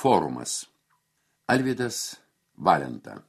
forumas. Alvydas Valenta.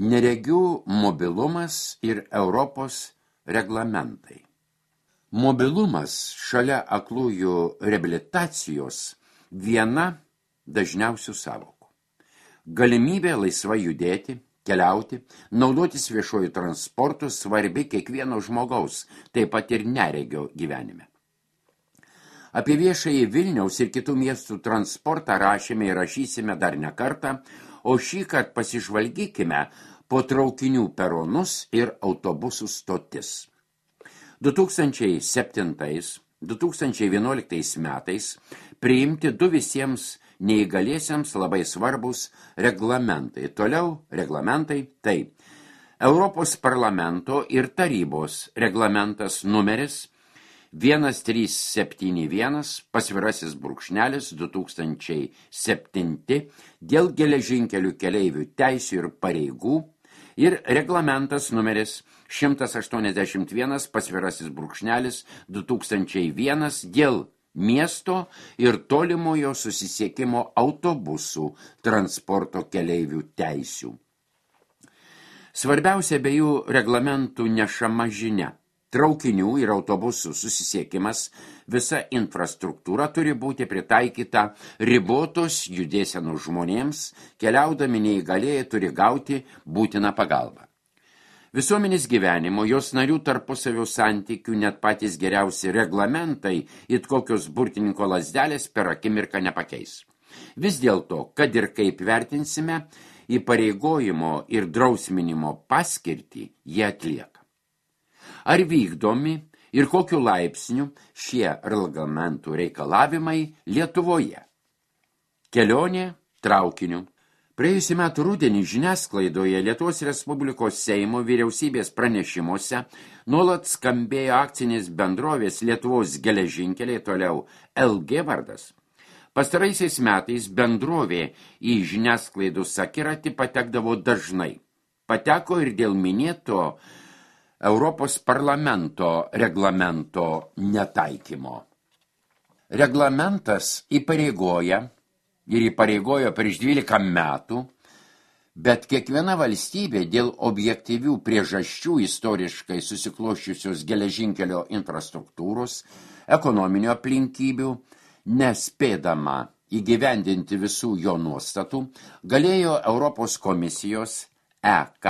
Neregių mobilumas ir Europos reglamentai. Mobilumas šalia aklųjų reabilitacijos viena dažniausių sąvokų. Galimybė laisvai judėti, keliauti, naudotis viešuoju transportu svarbi kiekvieno žmogaus, taip pat ir neregio gyvenime. Apie viešąjį Vilniaus ir kitų miestų transportą rašėme ir rašysime dar ne kartą, o šįkart pasižvalgykime po traukinių peronus ir autobusų stotis. 2007-2011 metais priimti du visiems neįgaliesiems labai svarbus reglamentai. Toliau reglamentai tai Europos parlamento ir tarybos reglamentas numeris 1371/2007 dėl geležinkelių keleivių teisių ir pareigų ir reglamentas numeris 181/2001 dėl miesto ir tolimojo susisiekimo autobusų transporto keleivių teisių. Svarbiausia abiejų reglamentų nešama žinia. Traukinių ir autobusų susisiekimas, visa infrastruktūra turi būti pritaikyta ribotos judėsenos žmonėms, keliaudami neįgalieji turi gauti būtiną pagalbą. Visuomenės gyvenimo, jos narių tarpusavio santykių, net patys geriausi reglamentai, it kokios burtininko lazdelės per akimirką nepakeis. Vis dėlto, kad ir kaip vertinsime, įpareigojimo ir drausminimo paskirtį jie atlieka. Ar vykdomi ir kokiu laipsniu šie reglamentų reikalavimai Lietuvoje? Kelionė traukiniu. Praėjusių metų rudenį žiniasklaidoje Lietuvos Respublikos Seimo vyriausybės pranešimuose nuolat skambėjo akcinės bendrovės Lietuvos geležinkeliai, toliau LG vardas. Pastaraisiais metais bendrovė į žiniasklaidos akiratį patekdavo dažnai. Pateko ir dėl minėto Europos parlamento reglamento netaikymo. Reglamentas įpareigojo prieš 12 metų, bet kiekviena valstybė dėl objektyvių priežasčių istoriškai susikloščiusios geležinkelio infrastruktūros, ekonominio aplinkybių, nespėdama įgyvendinti visų jo nuostatų, galėjo Europos komisijos EK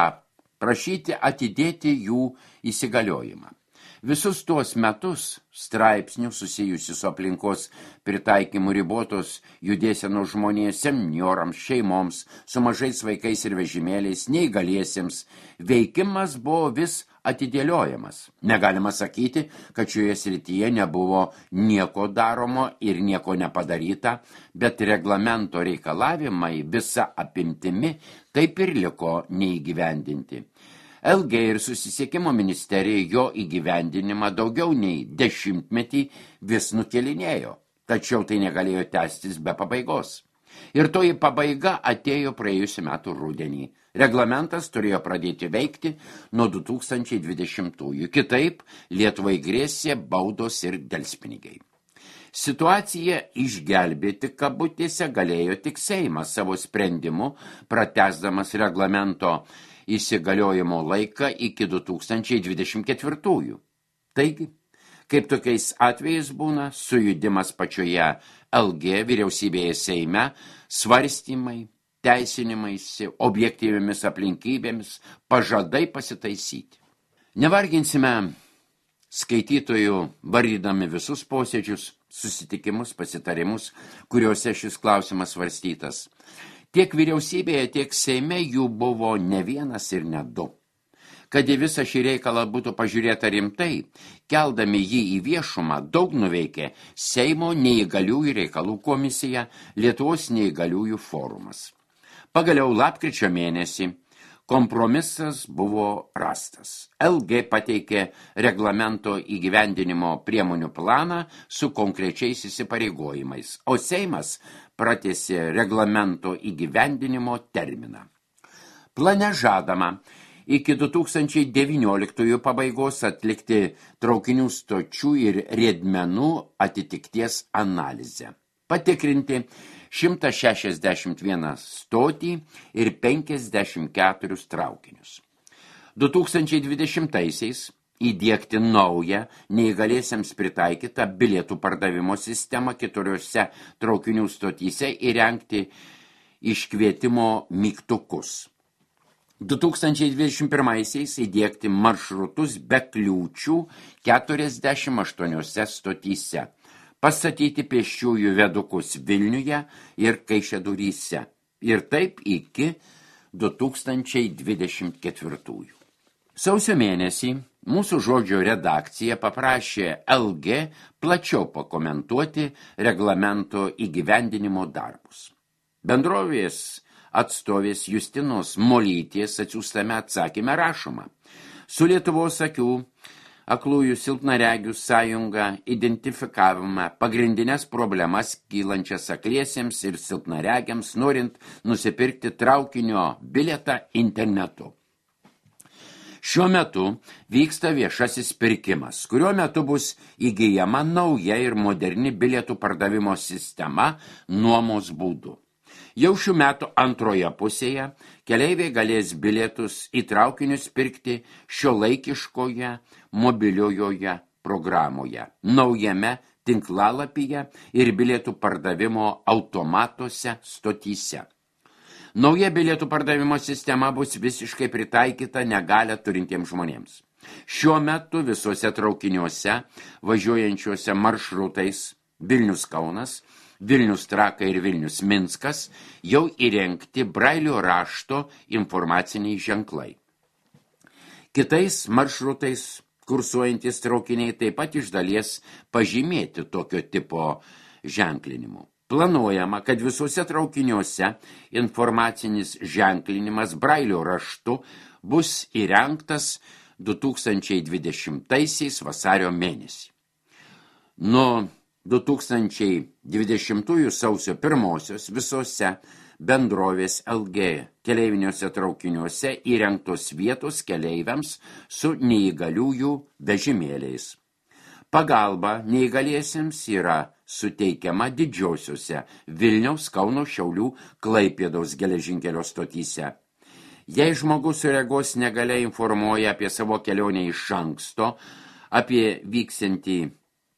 prašyti atidėti jų įsigaliojimą. Visus tuos metus straipsnių susijusių su aplinkos pritaikymu ribotos judėsenos žmonėms, seniorams, šeimoms, su mažais vaikais ir vežimėliais, neįgaliesiems, veikimas buvo vis atidėliojamas. Negalima sakyti, kad šioje srityje nebuvo nieko daromo ir nieko nepadaryta, bet reglamento reikalavimai visa apimtimi taip ir liko neįgyvendinti. LG ir susisiekimo ministerija jo įgyvendinimą daugiau nei 10 metį vis nukelinėjo, tačiau tai negalėjo tęstis be pabaigos. Ir toji pabaiga atėjo praėjusių metų rudenį. Reglamentas turėjo pradėti veikti nuo 2020-ųjų. Kitaip Lietuvai grėsė baudos ir delspinigiai. Situaciją išgelbėti kabutėse galėjo tik Seimas savo sprendimu, pratęsdamas reglamento įsigaliojimo laiką iki 2024-ųjų. Taigi, kaip tokiais atvejais būna, sujudimas pačioje LG vyriausybėje Seime, svarstymai, teisinimaisi, objektyviomis aplinkybėmis, pažadai pasitaisyti. Nevarginsime skaitytojų vardydami visus posėdžius, susitikimus, pasitarimus, kuriuose šis klausimas svarstytas. Tiek vyriausybėje, tiek Seime jų buvo ne vienas ir ne du. Kad į visą šį reikalą būtų pažiūrėta rimtai, keldami jį į viešumą, daug nuveikė Seimo neįgaliųjų reikalų komisija, Lietuvos neįgaliųjų forumas. Pagaliau lapkričio mėnesį kompromisas buvo rastas. LG pateikė reglamento įgyvendinimo priemonių planą su konkrečiais įsipareigojimais, o Seimas pratęsė reglamento įgyvendinimo terminą. Plane žadama iki 2019 pabaigos atlikti traukinių stočių ir riedmenų atitikties analizę. Patikrinti 161 stotį ir 54 traukinius. 2020-aisiais įdiegti naują neįgaliesiems pritaikytą bilietų pardavimo sistemą 4 traukinių stotyse įrengti iškvietimo mygtukus. 2021-aisiais įdiegti maršrutus be kliūčių 48 stotyse, pastatyti pėsčiųjų vedukus Vilniuje ir Kaišiadoryse ir taip iki 2024. Sausio mėnesį mūsų žodžio redakcija paprašė LG plačiau pakomentuoti reglamento įgyvendinimo darbus. Bendrovės atstovės Justinos Molytės atsiųstame atsakyme rašoma: su Lietuvos aklųjų silpnaregių sąjunga identifikavome pagrindinės problemas kylančias akliesiems ir silpnaregiams, norint nusipirkti traukinio bilietą internetu. Šiuo metu vyksta viešasis pirkimas, kuriuo metu bus įgyjama nauja ir moderni bilietų pardavimo sistema nuomos būdu. Jau šių metų antroje pusėje keleiviai galės bilietus į traukinius pirkti šiuolaikiškoje mobiliojoje programoje, naujame tinklalapyje ir bilietų pardavimo automatuose stotyse. Nauja bilietų pardavimo sistema bus visiškai pritaikyta negalią turintiems žmonėms. Šiuo metu visuose traukiniuose važiuojančiuose maršrutais Vilnius-Kaunas, Vilnius-Trakai ir Vilnius-Minskas jau įrengti brailio rašto informaciniai ženklai. Kitais maršrutais kursuojantys traukiniai taip pat iš dalies pažymėti tokio tipo ženklinimu. Planuojama, kad visuose traukiniuose informacinis ženklinimas brailio raštu bus įrengtas 2020 vasario mėnesį. Nuo 2020 sausio 1 visose bendrovės LG keleiviniuose traukiniuose įrengtos vietos keleiviams su neįgaliųjų vežimėliais. Pagalba neįgaliesiems yra suteikiama didžiosiuose Vilniaus, Kauno, Šiaulių, Klaipėdos geležinkelio stotyse. Jei žmogus su regos negalia informuoja apie savo kelionę iš anksto, apie vyksiantį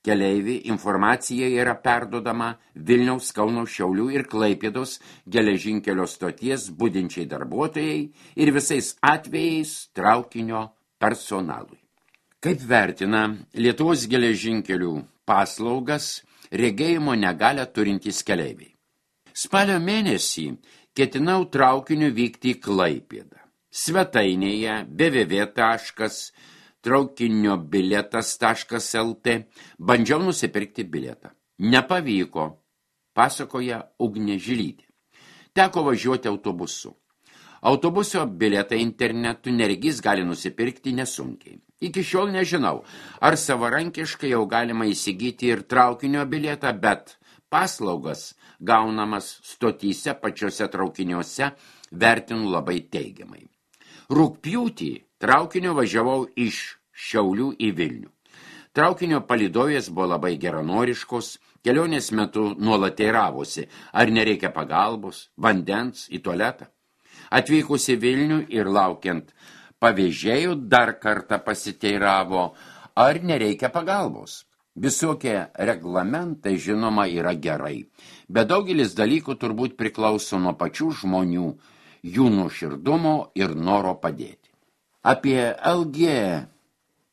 keleivį, informacija yra perduodama Vilniaus, Kauno, Šiaulių ir Klaipėdos geležinkelio stoties budinčiai darbuotojai ir visais atvejais traukinio personalui. Kaip vertina Lietuvos geležinkelių paslaugas regėjimo negalią turintys keleiviai? Spalio mėnesį ketinau traukiniu vykti į Klaipėdą. Svetainėje www.traukiniobilietas.lt bandžiau nusipirkti bilietą. Nepavyko, pasakoja Ugnė Žilytė. Teko važiuoti autobusu. Autobuso bilietą internetu neregys gali nusipirkti nesunkiai. Iki šiol nežinau, ar savarankiškai jau galima įsigyti ir traukinio bilietą, bet paslaugas gaunamas stotyse pačiose traukiniuose vertinu labai teigiamai. Rugpjūtį traukiniu važiavau iš Šiaulių į Vilnių. Traukinio palydovės buvo labai geranoriškos, kelionės metu nuolat teiravosi, ar nereikia pagalbos, vandens, į tualetą. Atvykus į Vilnių ir laukiant pavėžėjų dar kartą pasiteiravo, ar nereikia pagalbos. Visokie reglamentai, žinoma, yra gerai, bet daugelis dalykų turbūt priklauso nuo pačių žmonių, jų nuoširdumo ir noro padėti. Apie LG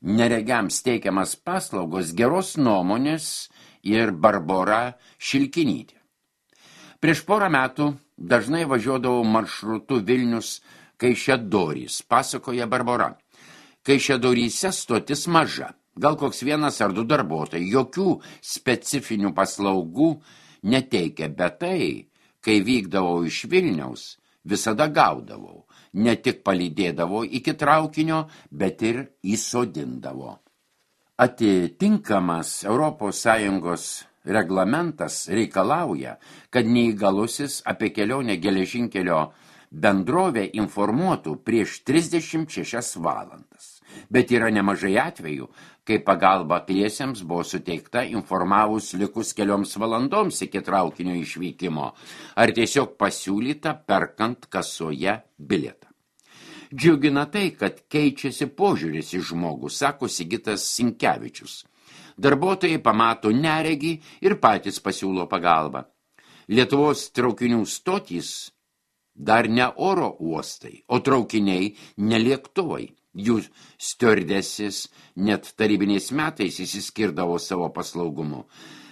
neregiams teikiamas paslaugos geros nuomonės ir Barbora Šilkinytė. Prieš porą metų dažnai važiuodavau maršrutu Vilnius Kaišiadorys, pasakoja Barbora. Kaišiadoryse stotis maža, gal koks 1 ar 2 darbuotojai, jokių specifinių paslaugų neteikia, bet tai, kai vykdavau iš Vilniaus, visada gaudavau, ne tik palydėdavo iki traukinio, bet ir įsodindavo. Atitinkamas ES reglamentas reikalauja, kad neįgalusis apie kelionę geležinkelio bendrovė informuotų prieš 36 valandas. Bet yra nemažai atvejų, kai pagalba akliesiems buvo suteikta informavus likus kelioms valandoms iki traukinio išvykimo, ar tiesiog pasiūlyta perkant kasoje bilietą. Džiugina tai, kad keičiasi požiūris į žmogų, sako Sigitas Sinkevičius. Darbuotojai pamato neregį ir patys pasiūlo pagalbą. Lietuvos traukinių stotys dar ne oro uostai, o traukiniai ne lėktuvai. Jų stiuardesis net tarybiniais metais išsiskirdavo savo paslaugumu,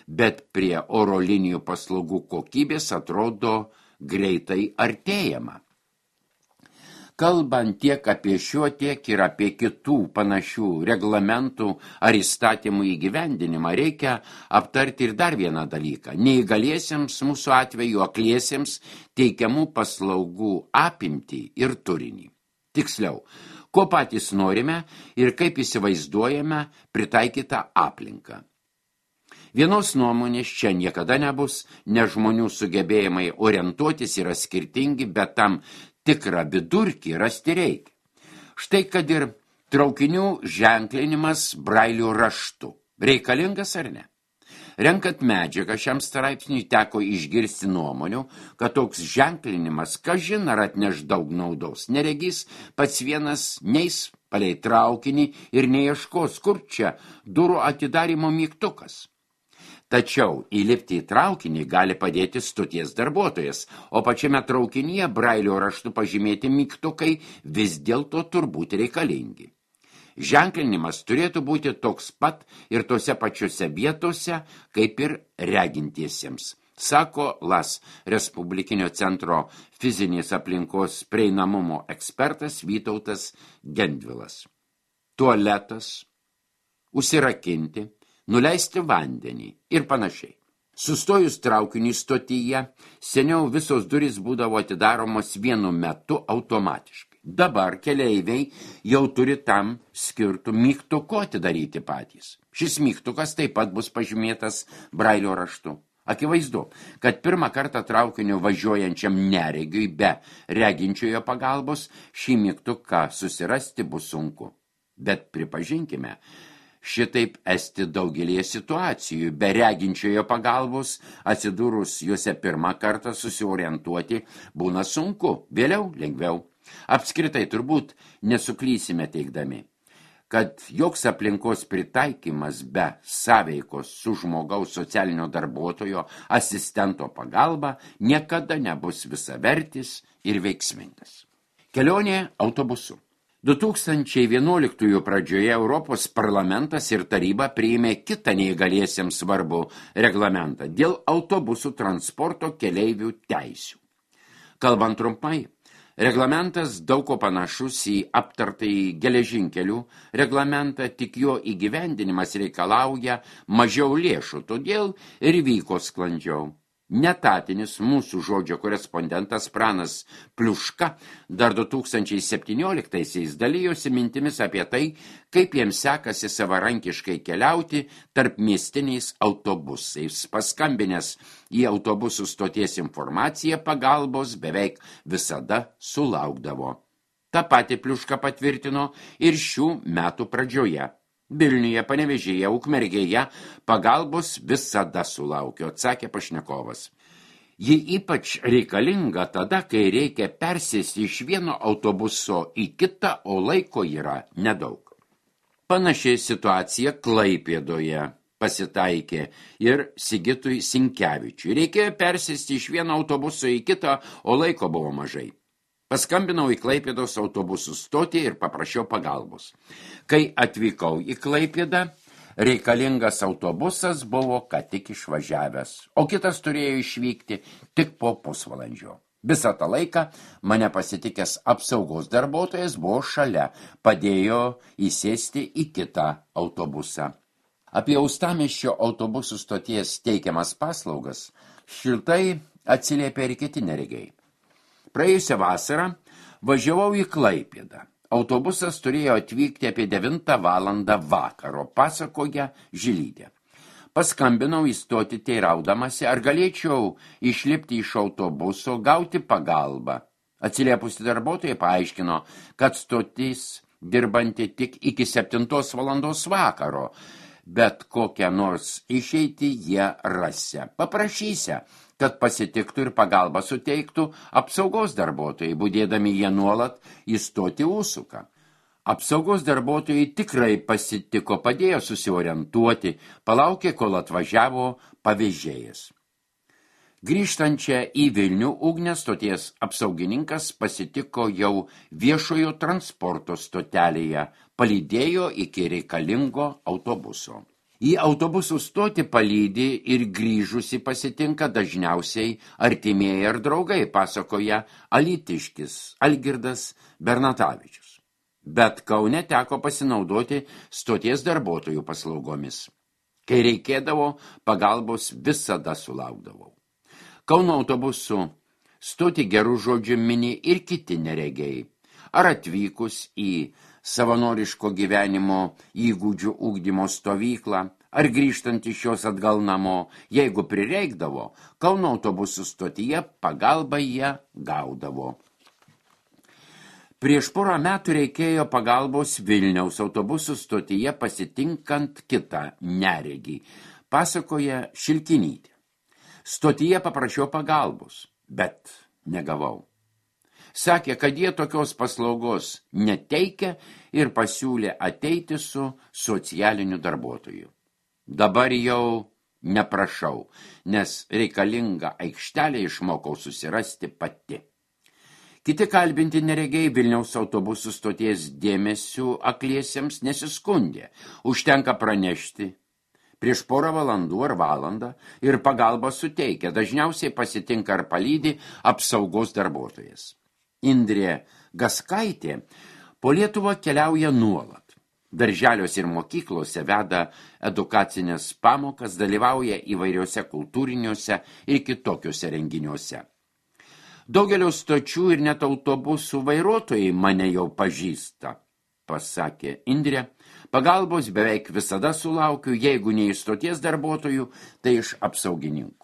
bet prie oro linijų paslaugų kokybės atrodo greitai artėjama. Kalbant tiek apie šio, tiek ir apie kitų panašių reglamentų ar įstatymų įgyvendinimą, reikia aptarti ir dar vieną dalyką. Neįgaliesiems, mūsų atveju akliesiems, teikiamų paslaugų apimtį ir turinį. Tiksliau, ko patys norime ir kaip įsivaizduojame pritaikytą aplinką. Vienos nuomonės čia niekada nebus, nes žmonių sugebėjimai orientuotis yra skirtingi, bet tam tikrą vidurkį rasti reikia. Štai kad ir traukinių ženklinimas brailio raštu. Reikalingas ar ne? Renkant medžiagą šiam straipsniui teko išgirsti nuomonių, kad toks ženklinimas kažin ar atneš daug naudos. Neregys pats vienas neis palei traukinį ir neieškos, kur čia durų atidarymo mygtukas. Tačiau įlipti į traukinį gali padėti stoties darbuotojas, o pačiame traukinyje brailio raštu pažymėti mygtukai vis dėlto turbūt reikalingi. Ženklinimas turėtų būti toks pat ir tose pačiose vietose, kaip ir regintiesiems, sako LAS Respublikinio centro fizinės aplinkos prieinamumo ekspertas Vytautas Gendvilas. Tualetas, užsirakinti, nuleisti vandenį ir panašiai. Sustojus traukiniui stotyje, seniau visos durys būdavo atidaromos vienu metu automatiškai. Dabar keleiviai jau turi tam skirtų mygtuku atidaryti patys. Šis mygtukas taip pat bus pažymėtas brailio raštu. Akivaizdu, kad pirmą kartą traukiniu važiuojančiam neregiui be reginčiojo pagalbos šį mygtuką susirasti bus sunku. Bet pripažinkime, šitaip esti daugelėje situacijų, be reginčiojo pagalbos atsidūrus juose pirmą kartą susiorientuoti būna sunku, vėliau lengviau. Apskritai turbūt nesuklysime teigdami, kad joks aplinkos pritaikymas be sąveikos su žmogaus socialinio darbuotojo asistento pagalba niekada nebus visavertis ir veiksmingas. Kelionė autobusu. 2011 pradžioje Europos parlamentas ir taryba priėmė kitą neįgaliesiems svarbų reglamentą dėl autobusų transporto keleivių teisių. Kalbant trumpai, reglamentas daug ko panašus į aptartąjį geležinkelių reglamentą, tik jo įgyvendinimas reikalauja mažiau lėšų, todėl ir vyko sklandžiau. Netatinis mūsų žodžio korespondentas Pranas Pliuška dar 2017-aisiais dalijosi mintimis apie tai, kaip jiems sekasi savarankiškai keliauti tarp miestiniais autobusais. Paskambinęs į autobusų stoties informaciją pagalbos beveik visada sulaukdavo. Ta pati Pliuška patvirtino ir šių metų pradžioje. Vilniuje, Panevėžyje, Ukmergėje pagalbos visada sulaukia, atsakė pašnekovas. Ji ypač reikalinga tada, kai reikia persėsti iš vieno autobuso į kitą, o laiko yra nedaug. Panašiai situacija Klaipėdoje pasitaikė ir Sigitui Sinkevičiui. Reikėjo persėsti iš vieno autobuso į kitą, o laiko buvo mažai. Paskambinau į Klaipėdos autobusų stotį ir paprašiau pagalbos. Kai atvykau į Klaipėdą, reikalingas autobusas buvo ką tik išvažiavęs, o kitas turėjo išvykti tik po pusvalandžio. Visą tą laiką mane pasitikęs apsaugos darbuotojas buvo šalia, padėjo įsėsti į kitą autobusą. Apie Uostamiesčio autobusų stoties teikiamas paslaugas šiltai atsiliepė ir kiti neregiai. Praėjusią vasarą važiavau į Klaipėdą. Autobusas turėjo atvykti apie 9 valandą vakaro, pasakoja Žilytė. Paskambinau į stotį teiraudamasi, ar galėčiau išlipti iš autobuso, gauti pagalbą. Atsiliepusi darbuotojai paaiškino, kad stotis dirbanti tik iki 7 valandos vakaro, bet kokią nors išeitį jie rasia. Paprašysia, kad pasitiktų ir pagalbą suteiktų apsaugos darbuotojai, budėdami jie nuolat įstoti užsuką. Apsaugos darbuotojai tikrai pasitiko, padėjo susiorientuoti, palaukė, kol atvažiavo pavėžėjas. Grįžtančią į Vilnių Ugnės stoties apsaugininkas pasitiko jau viešojo transporto stotelėje, palydėjo iki reikalingo autobuso. Į autobusų stotį palydi ir grįžusi pasitinka dažniausiai artimieji ar draugai, pasakoja alytiškis Algirdas Bernatavičius. Bet Kaune teko pasinaudoti stoties darbuotojų paslaugomis. Kai reikėdavo, pagalbos visada sulaukdavau. Kauno autobusų stoti gerų žodžių mini ir kiti neregiai. Ar atvykus į savanoriško gyvenimo įgūdžių ugdymo stovyklą, ar grįžtant iš jos atgal namo, jeigu prireikdavo, Kauno autobusų stotyje pagalbą jie gaudavo. Prieš porą metų reikėjo pagalbos Vilniaus autobusų stotyje pasitinkant kitą neregį, pasakoja Šilkinytė. Stotyje paprašiau pagalbos, bet negavau. Sakė, kad jie tokios paslaugos neteikia ir pasiūlė ateiti su socialiniu darbuotoju. Dabar jau neprašau, nes reikalingą aikštelę išmokau susirasti pati. Kiti kalbinti neregiai Vilniaus autobusų stoties dėmesių akliesiems nesiskundė. Užtenka pranešti prieš porą valandų ar valandą ir pagalbą suteikia, dažniausiai pasitinka ar palydi apsaugos darbuotojas. Indrė Gaskaitė po Lietuvą keliauja nuolat. Darželiuose ir mokyklose veda edukacinės pamokas, dalyvauja įvairiuose kultūriniuose ir kitokiuose renginiuose. Daugelio stočių ir net autobusų vairuotojai mane jau pažįsta, pasakė Indrė. Pagalbos beveik visada sulaukiu, jeigu ne iš stoties darbuotojų, tai iš apsaugininkų.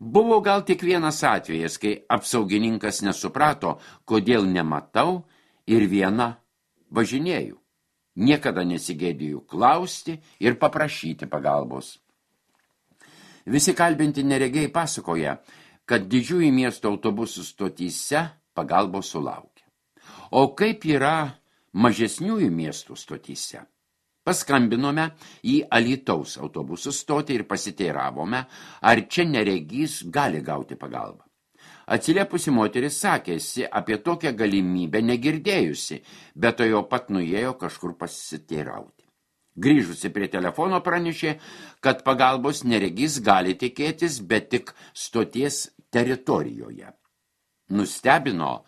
Buvo gal tik vienas atvejas, kai apsaugininkas nesuprato, kodėl nematau ir viena važinėjau. Niekada nesigėdėjau klausti ir paprašyti pagalbos. Visi kalbinti neregiai pasakoja, kad didžiųjų miesto autobusų stotyse pagalbos sulaukia. O kaip yra mažesniųjų miestų stotyse? Paskambinome į Alytaus autobusų stotį ir pasiteiravome, ar čia neregys gali gauti pagalbą. Atsiliepusi moteris sakėsi apie tokią galimybę negirdėjusi, bet to jau pat nuėjo kažkur pasiteirauti. Grįžusi prie telefono pranešė, kad pagalbos neregys gali tikėtis, bet tik stoties teritorijoje. Nustebino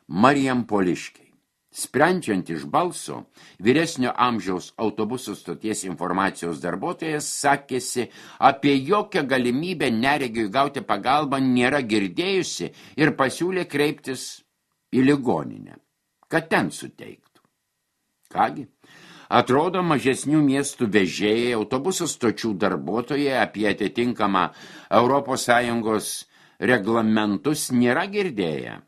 Marijampoliškiai. Sprendžiant iš balso, vyresnio amžiaus autobusų stoties informacijos darbuotojas sakėsi, apie jokią galimybę neregiui gauti pagalbą nėra girdėjusi ir pasiūlė kreiptis į ligoninę, kad ten suteiktų. Kągi, atrodo, mažesnių miestų vežėjai, autobusų stočių darbuotojai apie atitinkamą ES reglamentus nėra girdėję.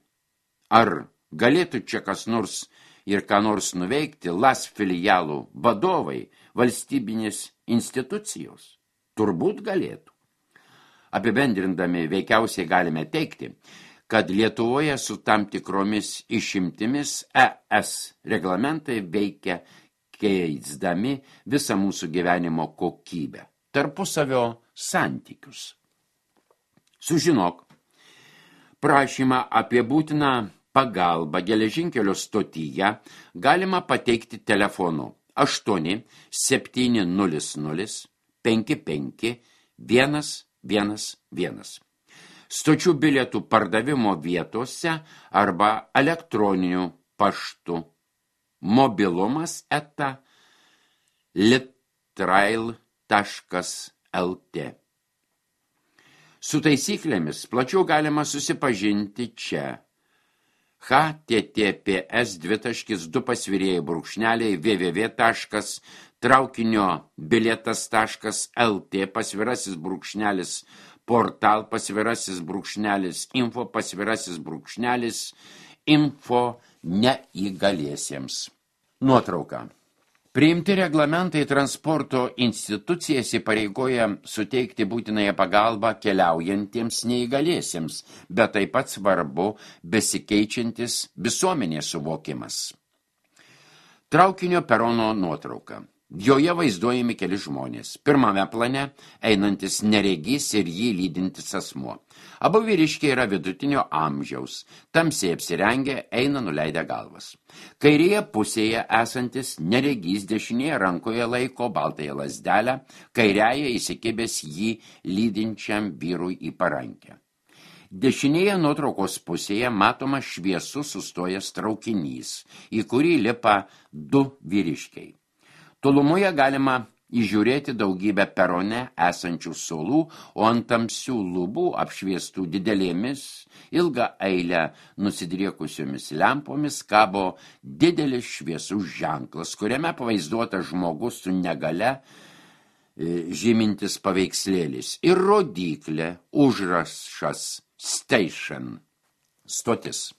Ar galėtų čia kas nors ir ką nors nuveikti LAS filialų vadovai, valstybinės institucijos? Turbūt galėtų. Apibendrindami veikiausiai galime teikti, kad Lietuvoje su tam tikromis išimtimis ES reglamentai veikia keisdami visą mūsų gyvenimo kokybę, tarpusavio santykius. Sužinok, prašymą apie būtiną pagalbą geležinkelio stotyje galima pateikti telefonu 8 700 55 111. Stočių bilietų pardavimo vietose arba elektroniniu paštu mobilumas@litrail.lt. Su taisyklėmis plačiau galima susipažinti čia. https://www.traukiniobilietas.lt /+ portal _info neįgaliesiems. Nuotrauka. Priimti reglamentai transporto institucijas įpareigoja suteikti būtinąją pagalbą keliaujantiems neįgaliesiems, bet taip pat svarbu besikeičiantis visuomenės suvokimas. Traukinio perono nuotrauka. Joje vaizduojami keli žmonės. Pirmame plane einantis neregys ir jį lydintis asmuo. Abu vyriškiai yra vidutinio amžiaus. Tamsiai apsirengę, eina nuleidę galvas. Kairėje pusėje esantis neregys dešinėje rankoje laiko baltąją lazdelę, kairiąją įsikibęs jį lydinčiam vyrui į parankę. Dešinėje nuotraukos pusėje matoma šviesus sustojęs traukinys, į kurį lipa 2 vyriškiai. Tolumoje galima įžiūrėti daugybę perone esančių suolų, o ant tamsių lubų apšviestų didelėmis, ilgą eilę nusidriekusiomis lempomis kabo didelis šviesus ženklas, kuriame pavaizduotas žmogus su negale žymintis paveikslėlis ir rodyklė užrašas station, stotis.